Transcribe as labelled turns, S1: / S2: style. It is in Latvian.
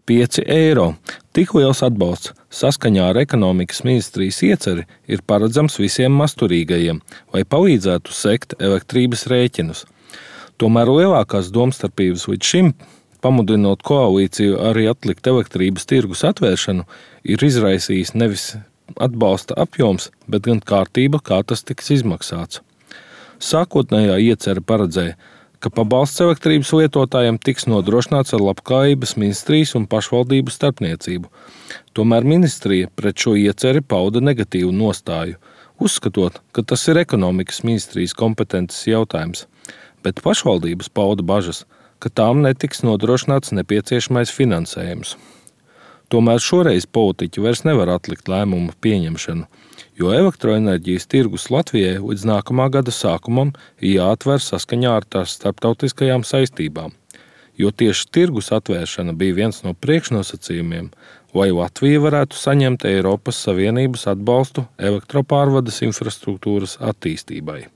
S1: 5 eiro. Tik liels atbalsts saskaņā ar ekonomikas ministrijas ieceri ir paredzams visiem masturīgajiem, lai palīdzētu sekt elektrības rēķinus. Tomēr lielākās domstarpības līdz šim, pamudinot koalīciju arī atlikt elektrības tirgus atvēršanu, ir izraisījis nevis atbalsta apjoms, bet gan kārtība, kā tas tiks izmaksāts. Sākotnējā iecere paredzēja, ka pabalsts elektrības lietotājiem tiks nodrošināts ar Labklājības ministrijas un pašvaldību starpniecību. Tomēr ministrija pret šo ieceri pauda negatīvu nostāju, uzskatot, ka tas ir ekonomikas ministrijas kompetences jautājums, bet pašvaldības pauda bažas, ka tām netiks nodrošināts nepieciešamais finansējums. Tomēr šoreiz politiķi vairs nevar atlikt lēmumu pieņemšanu, jo elektroenerģijas tirgus Latvijai līdz nākamā gada sākumam jāatver saskaņā ar tās starptautiskajām saistībām, jo tieši tirgus atvēršana bija viens no priekšnosacījumiem, lai Latvija varētu saņemt Eiropas Savienības atbalstu elektropārvades infrastruktūras attīstībai.